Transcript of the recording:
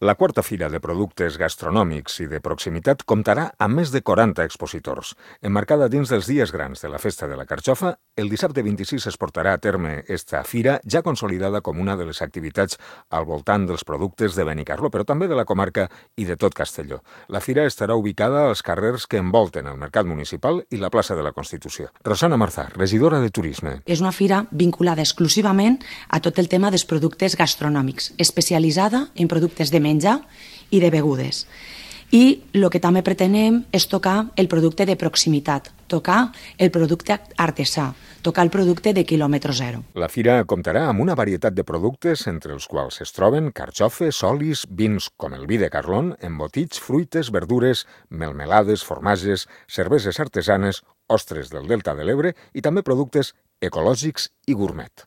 La quarta Fira de Productes Gastronòmics i de Proximitat comptarà amb més de 40 expositors. Emmarcada dins dels dies grans de la Festa de la Carxofa, el dissabte 26 es portarà a terme esta fira ja consolidada com una de les activitats al voltant dels productes de Benicarló, però també de la comarca i de tot Castelló. La fira estarà ubicada als carrers que envolten el Mercat Municipal i la plaça de la Constitució. Rosana Marzà, regidora de Turisme. És una fira vinculada exclusivament a tot el tema dels productes gastronòmics, especialitzada en productes de menjar i de begudes. I el que també pretenem és tocar el producte de proximitat, tocar el producte artesà, tocar el producte de quilòmetre zero. La fira comptarà amb una varietat de productes entre els quals es troben carxofes, olis, vins com el vi de Carlón, embotits, fruites, verdures, melmelades, formatges, cerveses artesanes, ostres del Delta de l'Ebre i també productes ecològics i gourmet.